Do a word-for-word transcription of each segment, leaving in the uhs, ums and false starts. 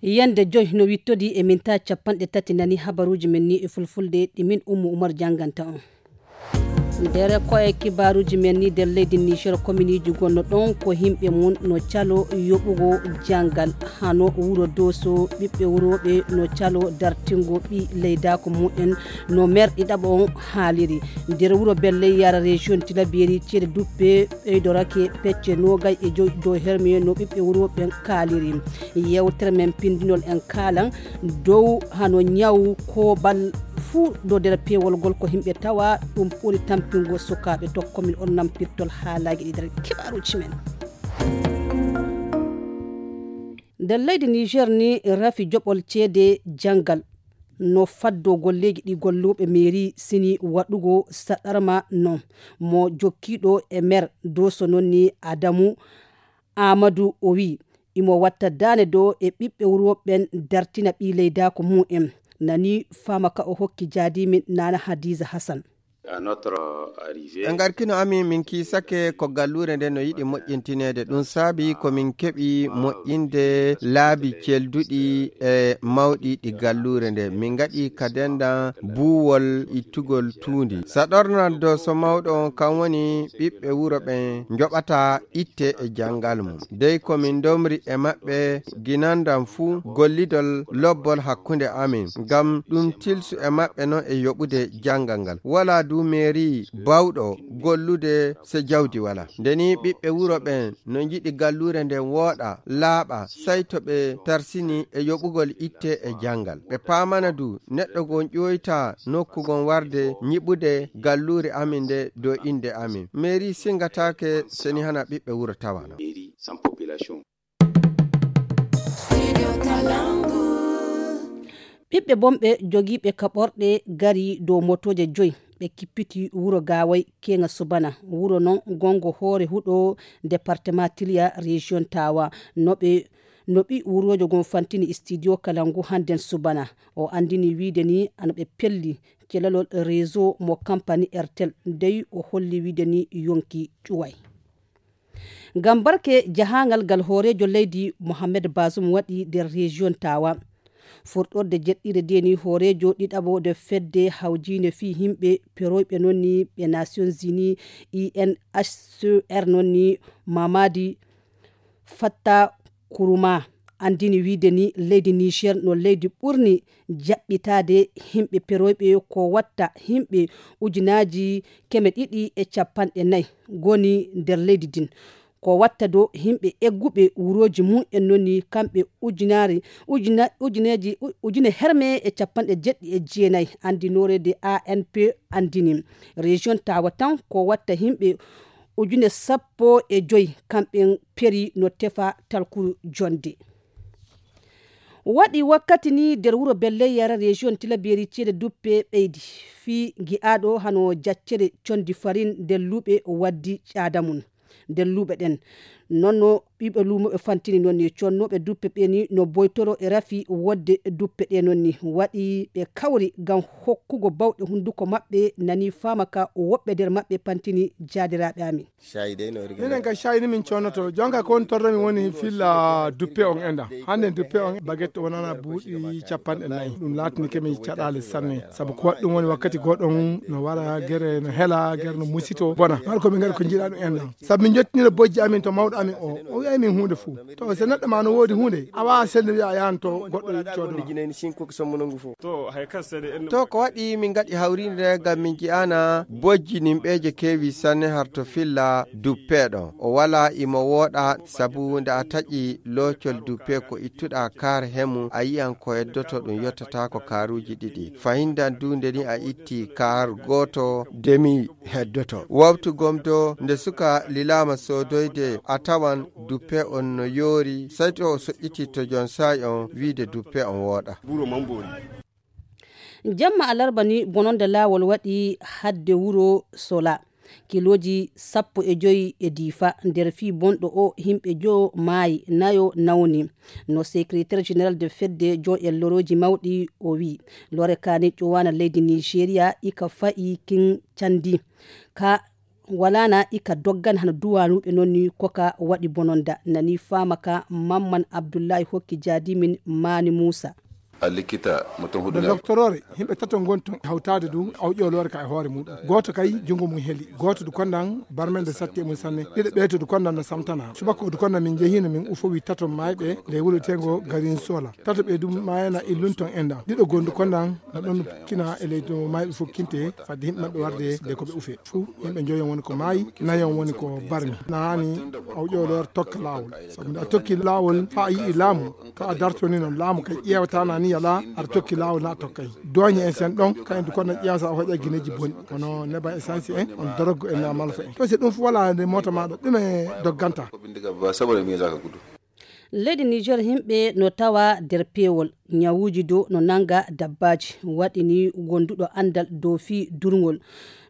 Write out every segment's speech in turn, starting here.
Yande joy no wittodi e minta capanɗe tati nani habaruji men ni e fulfulde ɗi min Ummu Umar janganta on. Nder koye kibaruji men ni nder leydi Niger, kominiji gonno ɗon ko himɓe mum no calo yoɓugo jangal, hano wuro Doso, ɓiɓɓe wuroɓe no calo dartingo ɓi leydako mumen no merɗi ɗaɓo on haaliri. Nder wuro Belley yara région Tilaberi, ceede duppe ɓeydorake pecce nogay e joy dow herme no ɓiɓɓe wuroɓen kaaliri. Yewtere men pindinol en kaalan dow hano ñawu kobal fuu ɗo nder peewol ngol ko himɓe tawa ɗum ɓuri tampingo sukaaɓe. Tokkomin on nampirtol haalaaji ɗi nder kibaruuji men. Nder leydi Niger ni rafi joɓol ceede janngal no faddo golleeji ɗi golluɓe mairie sini waɗugo saɗarma non mo jokkiiɗo e maire Doso non ni Adamu Amadou o wi imo watta daane do e ɓiɓɓe wuro ɓen dartina ɓii leydaako mum en. Nani faama ka o hokki jaadimin Nana Hadiza Hassan. En garkino amin min kiisake ko galluure nde no yiɗi moƴƴintineede. Ɗum saabi ko min keɓi moƴƴinde laabi celduɗi e mawɗi ɗi galluure nde. Min ngaɗi ka dendan buuwol ittugol tuundi. Saɗornal Doso mawɗo on kan woni ɓiɓɓe wuro ɓen njoɓata itte e janngal mum. Dey ko min ndomri e maɓɓe ginandam fuu gollidol lobbol hakkunde amin, ngam ɗum tilsu e maɓɓe non e yoɓude janngal ngal. Walaa du meeri bawɗo gollude se jawdi walaa. Nde ni ɓiɓɓe wuro ɓen no njiɗi galluure nden wooɗa, laaɓa, say to ɓe tarsini e yoɓugol itte e janngal. Ɓe paamana du neɗɗo gon ƴoyta nokku gon warde nyiɓude galluure amin nde dow innde amin. Meeri singataake seni hana ɓiɓɓe wuro tawana. Ɓiɓɓe bonɓe jogiiɓe kaɓorɗe gari dow motooje joy. Ɓe kippiti wuro Gaway keŋa subana. Wuro non gongo hoore huɗo département Tiliya région Tawa. No ɓe, no ɓi wurojo gon fantini studio Kalangu hannden subana. O anndini wiide ni ano ɓe pelli celalol réseau mo kampani Airtel. Dey o holli wiide ni yonki ƴuway. Ngam barke jahaangal ngal hooreejo leydi Mohamed Bazoum waɗi nder région Tawa. Furɗorde jeɗɗire ndeni hooreejo ɗiɗaɓo nde fedde hawjiinde fii yimɓe peroyɓe non ni ɓe Nations Unies, U N H C R non ni Mamadi Fatta Kuruma anndini wiide ni leydi Niger no leydi ɓurni jaɓɓitaade yimɓe peroyɓe ko watta yimɓe ujunaaji keme ɗiɗi e capanɗe nayi ngoni nder leydi ndin. Ko watta do yimɓe egguɓe wurooji mum en non ni kamɓe ujunaare, ujuna-, ujuneeji, u-, ujune herme e capanɗe jeɗɗi e jeenayi anndinoore nde A N P anndini. Région Tawa tan ko watta yimɓe ujune sappo e joy kamɓen peri no tefa talkuru jonde. Waɗi wakkati ni nder wuro Belleyara région Tilaberi ceede duppe ɓeydi fii gi'aɗo hano jaccere condi farin nder luuɓe waddi caada mum nder luuɓe ɗen. Non no ɓiɓɓe luumo ɓe fantini non ni connooɓe duppe ɓe ni no boytoro e rafi wodde duppe ɗe non ni waɗi ɓe kawri ngam hokkugo bawɗe hunduko maɓɓe nani faama ka woɓɓe nder maɓɓe pantini jaadiraaɓe amin. Minen ga shayi ni min connoto jonka ko woni torromi woni filla duppe on enda hande duppe on baguette wonana buuɗi capanɗe nayi ɗum laatini kemi caɗaale sanne sabu ko waɗɗum woni wakkati goɗon no wara gere no hela gere no musito bona har ko min gaɗa ko jiiɗa ɗum enda sabu min jottinira bojji amin to mawɗo amin o o wi'ay min hunde fuu to so neɗɗo ma no woodi hunde a wawa sellude wiya a yahan to goɗɗo coodo ma. To hay kas sene en to ko waɗi min gaɗi hawrinde ngam min ji'ana bojji nimɓeeje keewi sanne har to filla duppeeɗo o wala imo wooɗa sabu nde a taƴi loocol duppe ko ittuɗa kaar hemu a yi'an ko heddoto ɗum yottata ko kaaruuji ɗiɗi fahindan du nde ni a itti kaar gooto demi heddoto wawtu gom do nde suka lilaama soodoyde a tawan duppe on no yoori say to o soƴƴiti to jon saa'i on wiide duppe on wooɗa. Jamma alarba ni bononde laawol waɗi hadde wuro sola kilooji sappo e joyi e diifa nder fii bonɗo o himɓe joo maayi nayo nawni. No secrétaire général de fedde joo en lorooji mawɗi o wii lore kane ƴowana leydi nigeria ika fa'i kin candi ka Walaana ika doggan hano duwanuɓe noon ni koka waɗi bononda nani faama ka mamman abdullahi hokki jaadimin maani muusa. A likkita mo ton huɗo doktorore. Himɓe tato ngon ton hawtaade du awƴoloore ka e hoore muɗum gooto kay junngo mum heli gooto du konnan barmende satti e mum sanne. Ɗiɗo ɓeeto du konnan no samtana subaka du konnan min njehino min ufowi tato mayɓe nde wuro tengo garin sola. Tato ɓe dum mayana illun ton endan ɗiɗo gondu konnan no ɗon kina e leydi no mayɓe fof kinte fadde himɓe maɓɓe warde nde ko ɓe ufe. Fuu yimɓe njoyon woni ko maayi nayon woni ko barmi. Naani awƴoloore tokka laawol sabu nde a tokki laawol faa a yii laamu. To a dartoni noon laamu kay ƴeewata na ni yalaa aɗa tokki laawol na a tokkay dooñe en sen ɗon kayen du kono ƴeewata a hoƴa gineeji bonɗi kono neba essence en on doroggo en na malfa en to si ɗum fof walaa nde moota maɗa ɗume dogganta. Leydi niger himɓe no tawa nder peewol ñawuuji dow no nannga dabbaaji waɗi ni wonduɗo anndal dow fii durngol.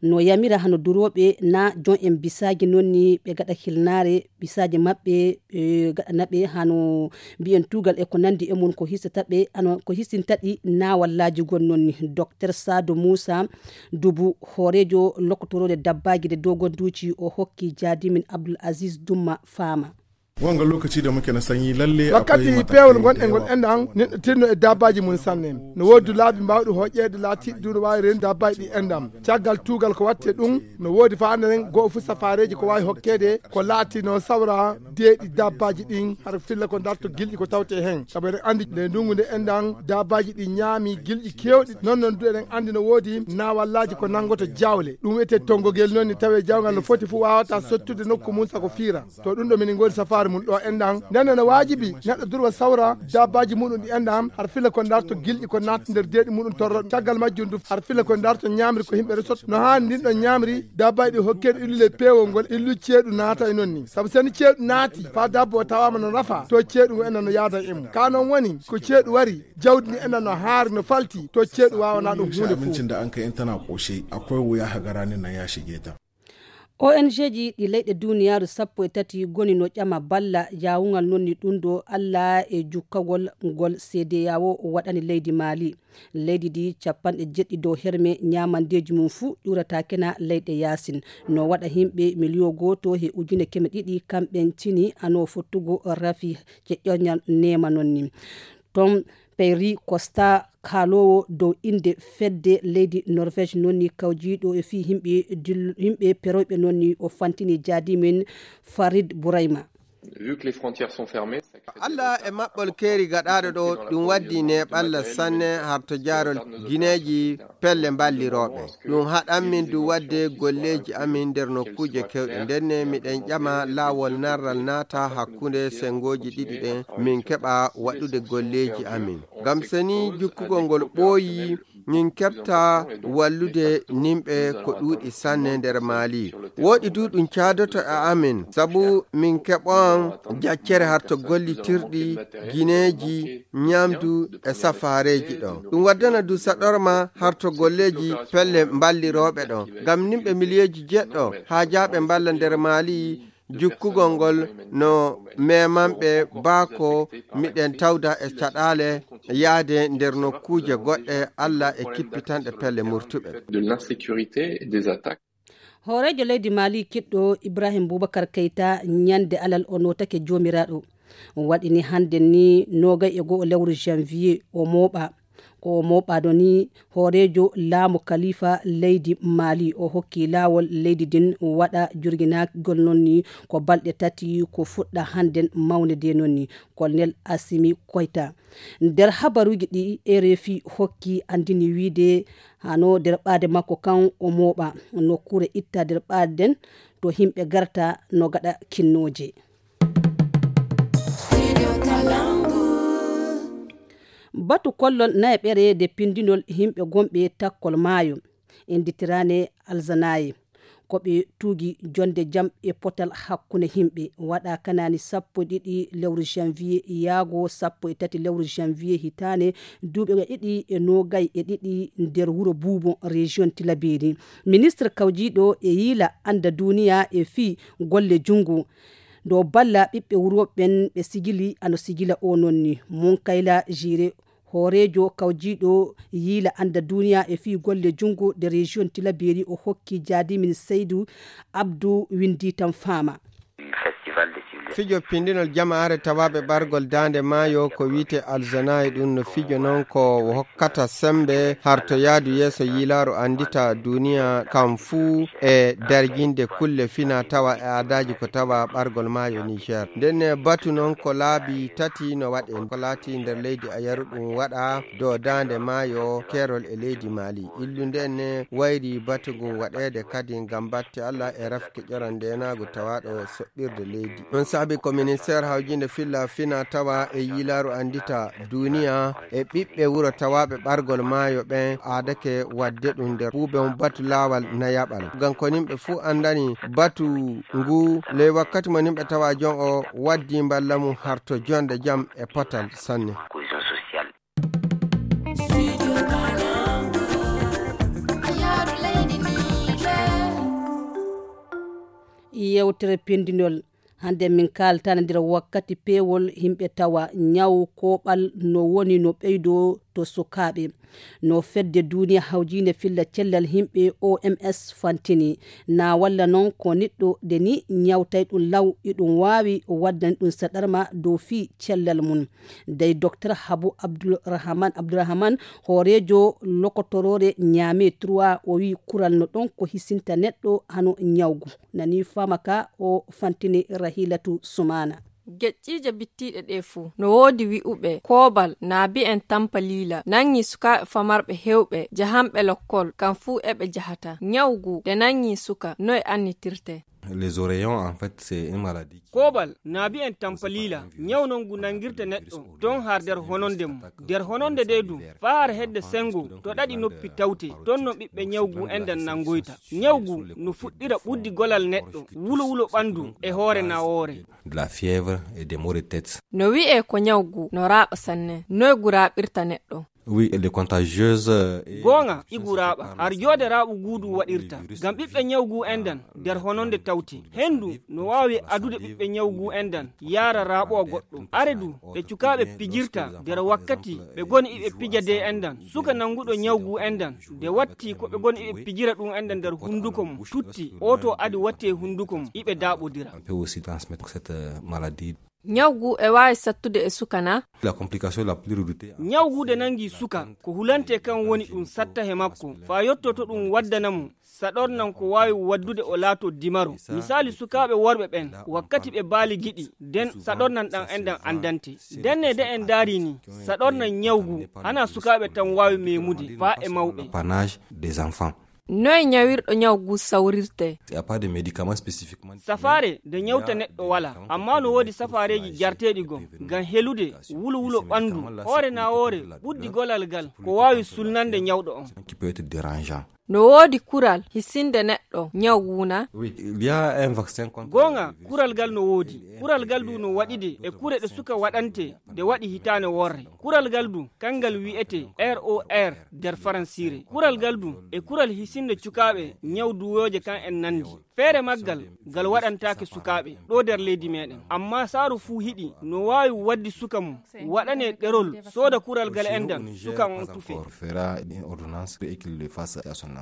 No yamira hano durooɓe na jon en bisaaji noon ni ɓe gaɗa hilnaare bisaaji maɓɓe ɓe gaɗana ɓe hano mbiyen tuugal e ko nanndi e mum ko hisata ɓe ano ko hisinta ɗi na wallaaji gon noon ni. Docteur Sado Moussa Dubu hooreejo lokkotorooɗe dabbaaji de dogonduuji o hokki jaadimin Abdul Aziz Dumma faama. Wanga lokaci da muke na sanyi lalle wakkati peewol gonɗe ngol enɗam neɗɗo tinno e dabbaaji mum sanne. No woodi laabi mbawɗi hoƴƴeede laatiiɗi du no waawi reendu dabbaaji ɗi enɗam caggal tuugal ko watte ɗum. No woodi faanderen goo fuu safaareeji ko waawi hokkeede ko laati no sawra deeɗi dabbaaji ɗin hara filla ko darto gilɗi ko tawte heen sabu eɗen anndi nde ndunngu nde enɗam dabbaaji ɗi ñaami gilɗi keewɗi noon noon du eɗen anndi no woodi naawallaaji ko nanngoto jawle ɗum wiyetee tonngogel noon ni tawee jawngal no foti fuu waawata sottude nokku mum sako fiira. To ɗum ɗo minin ngoodi safaari mum ɗo enɗan ndenne no waajibi neɗɗo durwa sawra dabbaaji muɗum ɗi enɗan har fila ko ndarto gilɗi ko natta nder deeɗi muɗum torroɗ caggal majjum du har fila ko ndarto ñaamri ko yimɓe resot no haani ndin ɗon ñaamri dabbaaji ɗi hokkeeɗo illule peewol ngol illu ceeɗu naata e noon ni sabu seni ceeɗu naati faa dabbo o tawaama no nafa to ceeɗu ngu enɗan no yaada e mum ka noon woni ko ceeɗu wari jawdi ndi enɗan no haari no falti to ceeɗu waawana ɗum huunde fof. Abincin da an kai in tana koshe akwai wuya hagara ne na ya shige ta. O N G ji ɗi leyɗe duniyaaru sappo e tati goni no ƴama balla yaawungal noon ni ɗum ɗo Alla e jukkagol ngol C D A O waɗani leydi Maali. Leydi ndi capanɗe jeɗɗi dow herme ñaamandeeji mum fuu ƴuurataake na leyɗe yaasin. No waɗa yimɓe miliyo gooto he ujune keme ɗiɗi kamɓen cini ano fottugo rafi ceƴƴoñal neema noon ni. Tom Perry Costa kaaloowo dow innde fedde leydi Norvège noon ni kawjiiɗo e fii yimɓe dil- yimɓe peroyɓe noon ni o fantini jaadimin Farid Bourayma. Vu que les frontières sont fermées, ça crée des Allah e maɓɓol keeri gaɗaaɗo ɗo ɗum waddi neeɓalla sanne harto jaarol gineeji pelle mballirooɓe. Ɗum haɗan min du wadde golleeji amin nder nokkuuje kewɗe ndenne miɗen ƴama laawol narral naata hakkunde senngooji ɗiɗi ɗen min keɓa waɗude golleeji amin. Ngam seni jukkugol ngol ɓooyi min keɓta wallude nimɓe ko ɗuuɗi sanne nder Maali. Wooɗi du ɗum caadoto e amin sabu min keɓon jaccere harto gollitirɗi gineeji ñamdu e safaareeji ɗo. Ɗum waddana du saɗorma harto golleeji pelle mballirooɓe ɗo. Ngam nimɓe miliyeeji jeɗɗo haajaaɓe mballa nder Maali jukkugol ngol no memanɓe baako miɗen tawda e caɗaale yaade nder nokkuuje goɗɗe Alla e kippitanɗe pelle murtuɓe. De l'insécurité et des attaques. Hooreejo leydi Maali kiɗɗo Ibrahim Bubakar Keita ñande alal o nootake joomiraaɗo. Waɗini hannde ni noogay e go'o lewru janvier o mooɓa. Ko o mooɓaɗo ni hooreejo laamu kalifa leydi Maali o hokki laawol leydi din waɗa jurginagol noon ni ko balɗe tati ko fuɗɗa hannden mawnede noon ni. Colonel Assimi Koita nder habaruuji ɗi R F I hokki anndini wiide hano nder ɓaade makko kan o mooɓa nokkuure itta nder ɓaaden to yimɓe garta no gaɗa kinnooje. Batu kollol nayaɓere nde pindinol yimɓe gonɓe takkol maayo, innditiraane Alzanaye, ko ɓe tuugi jonnde jam e potal hakkunde yimɓe, waɗa kanaani sappo e ɗiɗi lewru janvier yaago sappo e tati lewru janvier hitaande duuɓi ɗiɗi e noogay e ɗiɗi nder wuro Buubo, région Tilaberi. Ministre kawjiiɗo e yiila annda duuniya e fii golle junngo, dow balla ɓiɓɓe wuro ɓen ɓe sigili ano sigila o noon ni. Munkayla Jire Hooreejo kawjiiɗo yiila annda duniya e fii golle junngo de région Tilaberi o hokki jaadimin Seydu Abdu winndi tan faama. Fijo pindinol jamaare tawaaɓe ɓargol daande maayo ko wiite Alzanayi, ɗum no fijo noon ko hokkata sembe harto yaadu yeeso yiilaaru anndita duniya kam fuu e darjinde kulle fina tawa e aadaaji ko tawa ɓargol maayo Niger. Nden batu noon ko laabi tati no waɗe, ko laati nder leydi Ayaru ɗum waɗa dow daande maayo keerol e leydi Mali. Illu nden wayri batu ngun waɗeede kadi ngam batte Allah e rafke ƴoran ndeenaagu tawaaɗo soɓɓirde leydi. Ɗum saabi ko ministeer hawjinde filla fina tawa e yiilaaru anndita duniya e ɓiɓɓe wuro tawaaɓe ɓargol maayo ɓen aadake waɗde ɗum nder ɓuuɓe on batu laawal nayaɓal. Ngam ko nimɓe fuu anndani batu ngu ley wakkati mo nimɓe tawa jon o waddi mballa mum harto jonde jam e potal sanne. Yewtere pindinol. Hannde min kaaltana nder wakkati peewol yimɓe tawa ñaw kooɓal no woni no ɓeydoo to sukaaɓe. No fedde duniya hawjiinde filla cellal yimɓe O M S fantini. Na walla noon ko neɗɗo de ni ñawtay ɗum law, iɗum waawi waddani ɗum saɗarma dow fii cellal mum. Dey Docteur Habu Abdulrahman, Abdulrahman, hooreejo lokotoroore Ñaame trois, o wii kural no ɗon ko hisinta neɗɗo hano ñawgu. Nani faama ka o fantini Rahilatu Sumana. Geƴƴiije bittiiɗe ɗee fuu, no woodi wi'uɓe koobal na bi'en tampaliila, nangi sukaaɓe famarɓe heewɓe jahanɓe lokkol, kam fuu eɓe jahata. Ñawgu de nangi suka, noy annitirte? Les oreillons, en fait, c'est une maladie qui... Koobal na bi'en tampaliila, ñaw non ngu nangirta neɗɗo, ton har nder hononde mum. Nder hononde de du, faa har hedde sengo, to ɗaɗi noppi tawte, ton no ɓiɓɓe ñawgu endan nangoyta. Ñawgu no fuɗɗira ɓuddi golal neɗɗo, wulo wulo ɓandu e hoore nawoore. De la fièvre et des maux de tête. No wi'e ko ñawgu no raaɓa sanne, noy gu raaɓirta neɗɗo? Oui, elle est contagieuse, euh, et... Goonga, igu raaɓa. Har joode raaɓu guudu waɗirta. Ngam ɓiɓɓe ñawgu endan nder hononde tawti. Hendu no waawi adude ɓiɓɓe ñawgu endan yaara raaɓowa goɗɗo. Are du, ɓe cukaaɓe pijirta nder wakkati ɓe goni iɓe pija de endan. Suka nanguɗo ñawgu endan, de watti ko ɓe goni iɓe pijira ɗum endan nder hunduko mum. Tutti, oto adi watti e hunduko mum, iɓe daaɓodira. On peut aussi transmettre cette, euh, maladie. Ñawgu e waawi sattude e suka na? La complication la plus redoutée. Ñawgu de nangi suka, ko hulante kan woni ɗum satta he makko, faa yotto to ɗum waddana mo saɗornan ko waawi waddude o laato dimaro. Misaali sukaaɓe worɓe ɓen, wakkati ɓe baali giɗi, den saɗornan ɗan endan andante. Denne de en daari ni, saɗornan ñawgu, hana sukaaɓe tan waawi memude, faa e mawɓe. L'apanage des enfants. Noy ñawirɗo ñawgu sawrirte? Il y a pas de médicament spécifiquement. Safaare de ñawta neɗɗo wala, amma no woodi safaareeji jarteeɗi goo, ngam helude wulo wulo ɓandu, hoore nawoore, ɓuddi golal gal, ko waawi sulnande ñawɗo on. Qui peut être dérangeant. No woodi kural hisinde neɗɗo ñawgu na? Oui, il y a un vaccin contre le virus. Goonga, kural gal no woodi. Kural gal du no waɗide e kure ɗe suka waɗante de waɗi hitaane worre. Kural gal du, kangal wi'ete R O R nder faransiire. Kural gal du e kural hisinde cukaaɓe ñaw duwooje kan en nandi. Feere maggal, gal waɗantaake sukaaɓe ɗo nder leydi meɗen. Amma saaru fuu hiɗi no waawi waddi suka mum waɗane ɗerol, sooda kural gal endan, suka on tufe. Fera une ordonnance et qu'il le fasse à son enfant.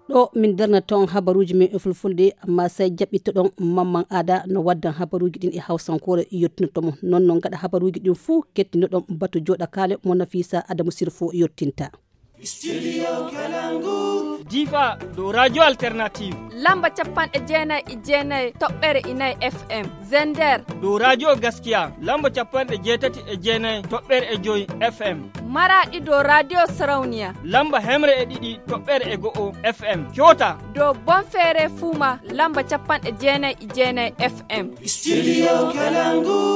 Ɗo min darna toon habaruuji men e fulfulde, amma sey jaɓɓitoɗon Mamman Ada no waddan habaruuji ɗin e hawsankoore yottinotto mo. Non non gaɗa habaruuji ɗin fuu kettinoɗon batu jooɗa kaale mo Nafisa Adamu Sirfo yottinta. Studio Kalangu. Difa dow Radio Alternative. Lamba capanɗe jeenayi e jeenayi toɓɓere e nayi F M. Zender. Dow Radio Gaskiya. Lamba capanɗe jeetati e jeenayi toɓɓere e joy F M. Maraɗi dow Radio Sarauniya. Lamba hemre e ɗiɗi toɓɓere e go'o F M. Coota. Dow Bonfere Fuma. Lamba capanɗe jeenayi e jeenayi F M. Studio Kalangu.